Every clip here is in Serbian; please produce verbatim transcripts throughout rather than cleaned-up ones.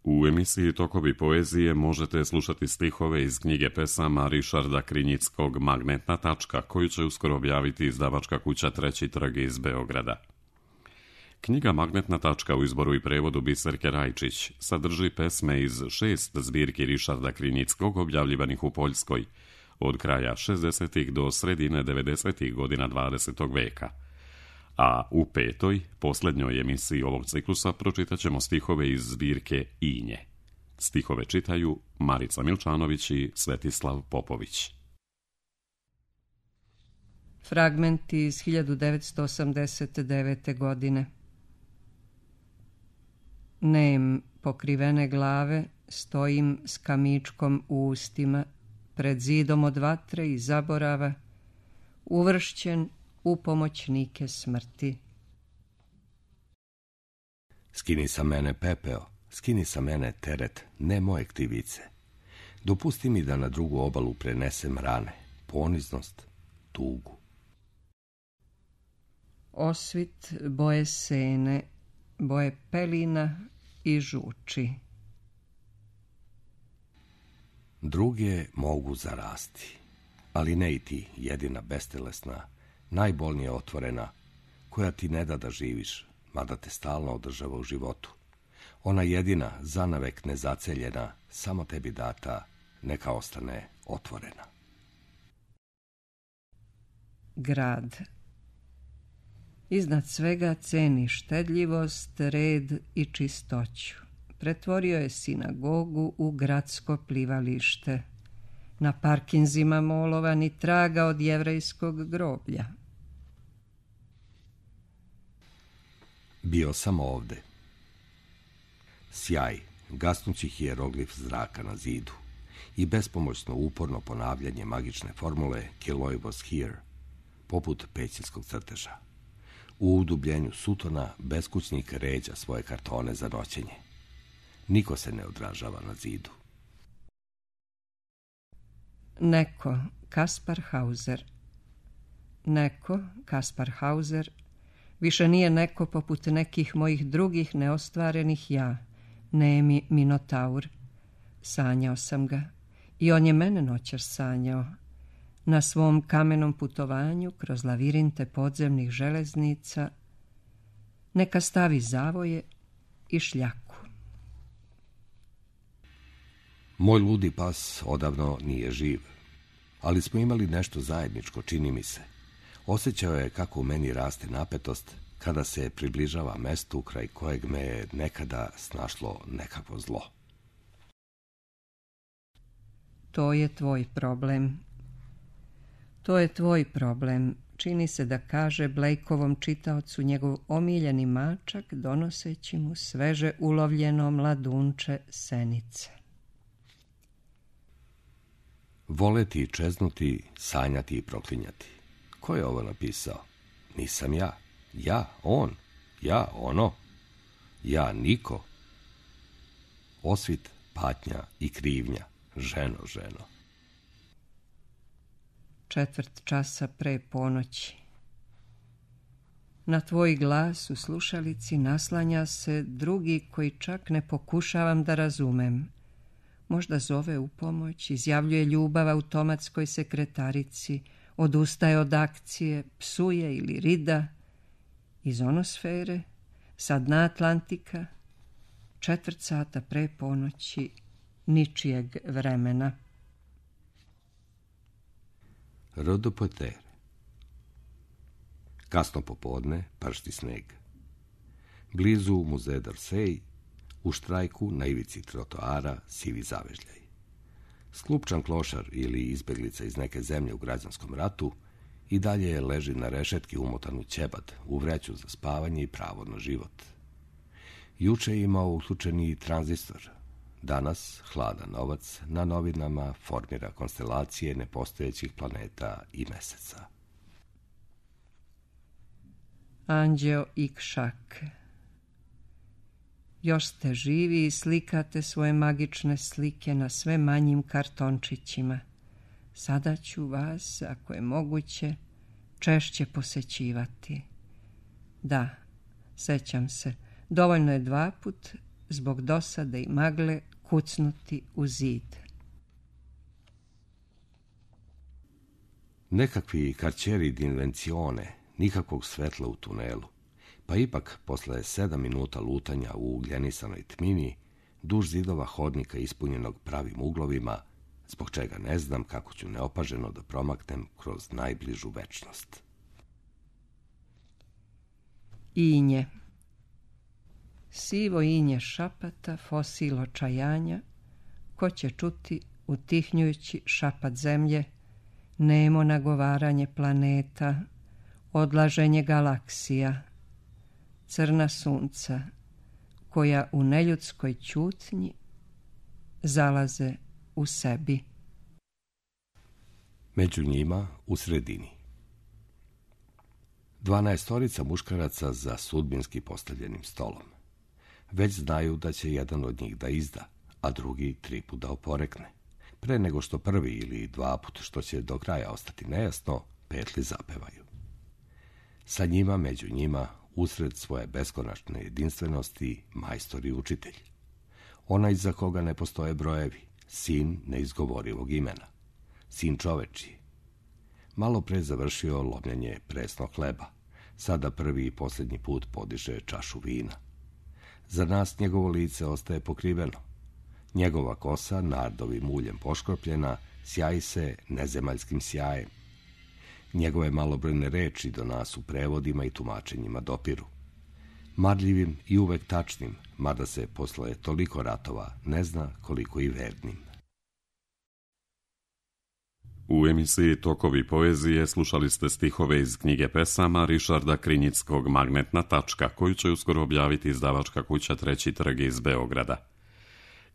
U emisiji Tokovi poezije možete slušati stihove iz knjige pesama Rišarda Krinjickog Magnetna tačka, koju će uskoro objaviti izdavačka kuća Treći trg iz Beograda. Knjiga Magnetna tačka u izboru i prevodu Biserke Rajčić sadrži pesme iz šest zbirki Rišarda Krinjickog objavljivanih u Poljskoj od kraja šezdesetih do sredine devedesetih godina dvadesetog veka. A u petoj, posljednjoj emisiji ovog ciklusa pročitat ćemo stihove iz zbirke Inje. Stihove čitaju Marica Milčanović i Svetislav Popović. Fragmenti iz hiljadu devetsto osamdeset devete. godine. Nem pokrivene glave, stojim s kamičkom u ustima, pred zidom od vatre i zaborava, uvršćen u pomoćnike smrti. Skini sa mene pepeo, skini sa mene teret, ne moje krivice. Dopusti mi da na drugu obalu prenesem rane, poniznost, tugu. Osvit boje sene, boje pelina i žuči. Druge mogu zarasti, ali ne i ti, jedina bestelesna, najbolnije otvorena, koja ti ne da da živiš, mada te stalno održava u životu. Ona jedina, zanavek nezaceljena, samo tebi data, neka ostane otvorena. Grad. Iznad svega ceni štedljivost, red i čistoću. Pretvorio je sinagogu u gradsko plivalište. Na parkinzima molova ni traga od jevrejskog groblja. Bio sam ovde. Sjaj, gasnući hijeroglif zraka na zidu i bespomoćno uporno ponavljanje magične formule Kiloi was here, poput pećinskog crteža. U udubljenju sutona beskućnik ređa svoje kartone za noćenje. Niko se ne odražava na zidu. Neko, Kaspar Hauser. Neko, Kaspar Hauser, više nije neko poput nekih mojih drugih neostvarenih ja, nemi Minotaur. Sanjao sam ga i on je mene noćas sanjao. Na svom kamenom putovanju kroz lavirinte podzemnih železnica neka stavi zavoje i šljaku. Moj ludi pas odavno nije živ, ali smo imali nešto zajedničko, čini mi se. Osjećao je kako u meni raste napetost kada se približava mestu kraj kojeg me je nekada snašlo nekakvo zlo. To je tvoj problem. To je tvoj problem, čini se da kaže Blakeovom čitaocu njegov omiljeni mačak, donoseći mu sveže ulovljeno mladunče senice. Voleti i čeznuti, sanjati i proklinjati. Ko je ovo napisao? Nisam ja. Ja, on. Ja, ono. Ja, niko. Osvit, patnja i krivnja. Ženo, ženo. Četvrt časa pre ponoći. Na tvoj glas u slušalici naslanja se drugi koji čak ne pokušavam da razumem. Možda zove u pomoć, izjavljuje ljubav automatskoj sekretarici, odustaje od akcije, psuje ili rida. Iz onosfere, sa dna Atlantika, četvrt sata pre ponoći, ničijeg vremena. Rodopotere. Kasno popodne, pršti sneg. Blizu muzeja d'Orsay, u štrajku na ivici trotoara, sivi zavežljaj. Sklupčan klošar ili izbeglica iz neke zemlje u građanskom ratu i dalje leži na rešetki umotan u ćebad, u vreću za spavanje i pravo na život. Juče je imao uključeni tranzistor. Danas, hladan novac, na novinama formira konstelacije nepostojećih planeta i meseca. Anđeo i Kšak. Još ste živi i slikate svoje magične slike na sve manjim kartončićima. Sada ću vas, ako je moguće, češće posećivati. Da, sećam se, dovoljno je dva put zbog dosade i magle kucnuti u zid. Nekakvi karčeri d'invencione, nikakvog svetla u tunelu, pa ipak, posle sedam minuta lutanja u ugljenisanoj tmini, duž zidova hodnika ispunjenog pravim uglovima, zbog čega ne znam kako ću neopaženo da promaknem kroz najbližu večnost. Inje. Sivo inje šapata, fosil očajanja, ko će čuti utihnjujući šapat zemlje, nemo nagovaranje planeta, odlaženje galaksija, crna sunca, koja u neljudskoj ćutnji zalaze u sebi. Među njima u sredini. Dvanaestorica muškaraca za sudbinski postavljenim stolom. Već znaju da će jedan od njih da izda, a drugi tri put da oporekne. Pre nego što prvi ili dva put, što će do kraja ostati nejasno, petli zapevaju. Sa njima, među njima, usred svoje beskonačne jedinstvenosti, majstor i učitelj. Onaj za koga ne postoje brojevi, sin neizgovorivog imena, sin čovečiji. Malo pre završio lomljenje presnog hleba, sada prvi i posljednji put podiže čašu vina. Za nas njegovo lice ostaje pokriveno. Njegova kosa, nardovim uljem poškropljena, sjaji se nezemaljskim sjajem. Njegove malobrojne reči do nas u prevodima i tumačenjima dopiru. Marljivim i uvek tačnim, mada se posle toliko ratova ne zna koliko i vernim. U emisiji Tokovi poezije slušali ste stihove iz knjige pesama Rišarda Krinjickog Magnetna tačka, koju će uskoro objaviti izdavačka kuća Treći trg iz Beograda.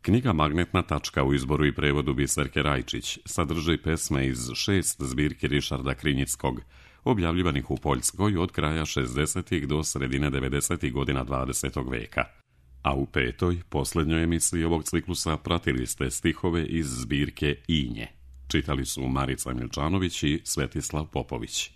Knjiga Magnetna tačka u izboru i prevodu Biserke Rajčić sadrži pesme iz šest zbirki Rišarda Krinjickog, objavljivanih u Poljskoj od kraja šezdesetih do sredine devedesetih godina dvadesetog veka. A u petoj, posljednjoj emisiji ovog ciklusa pratili ste stihove iz zbirke Inje. Čitali su Marica Milčanović i Svetislav Popović.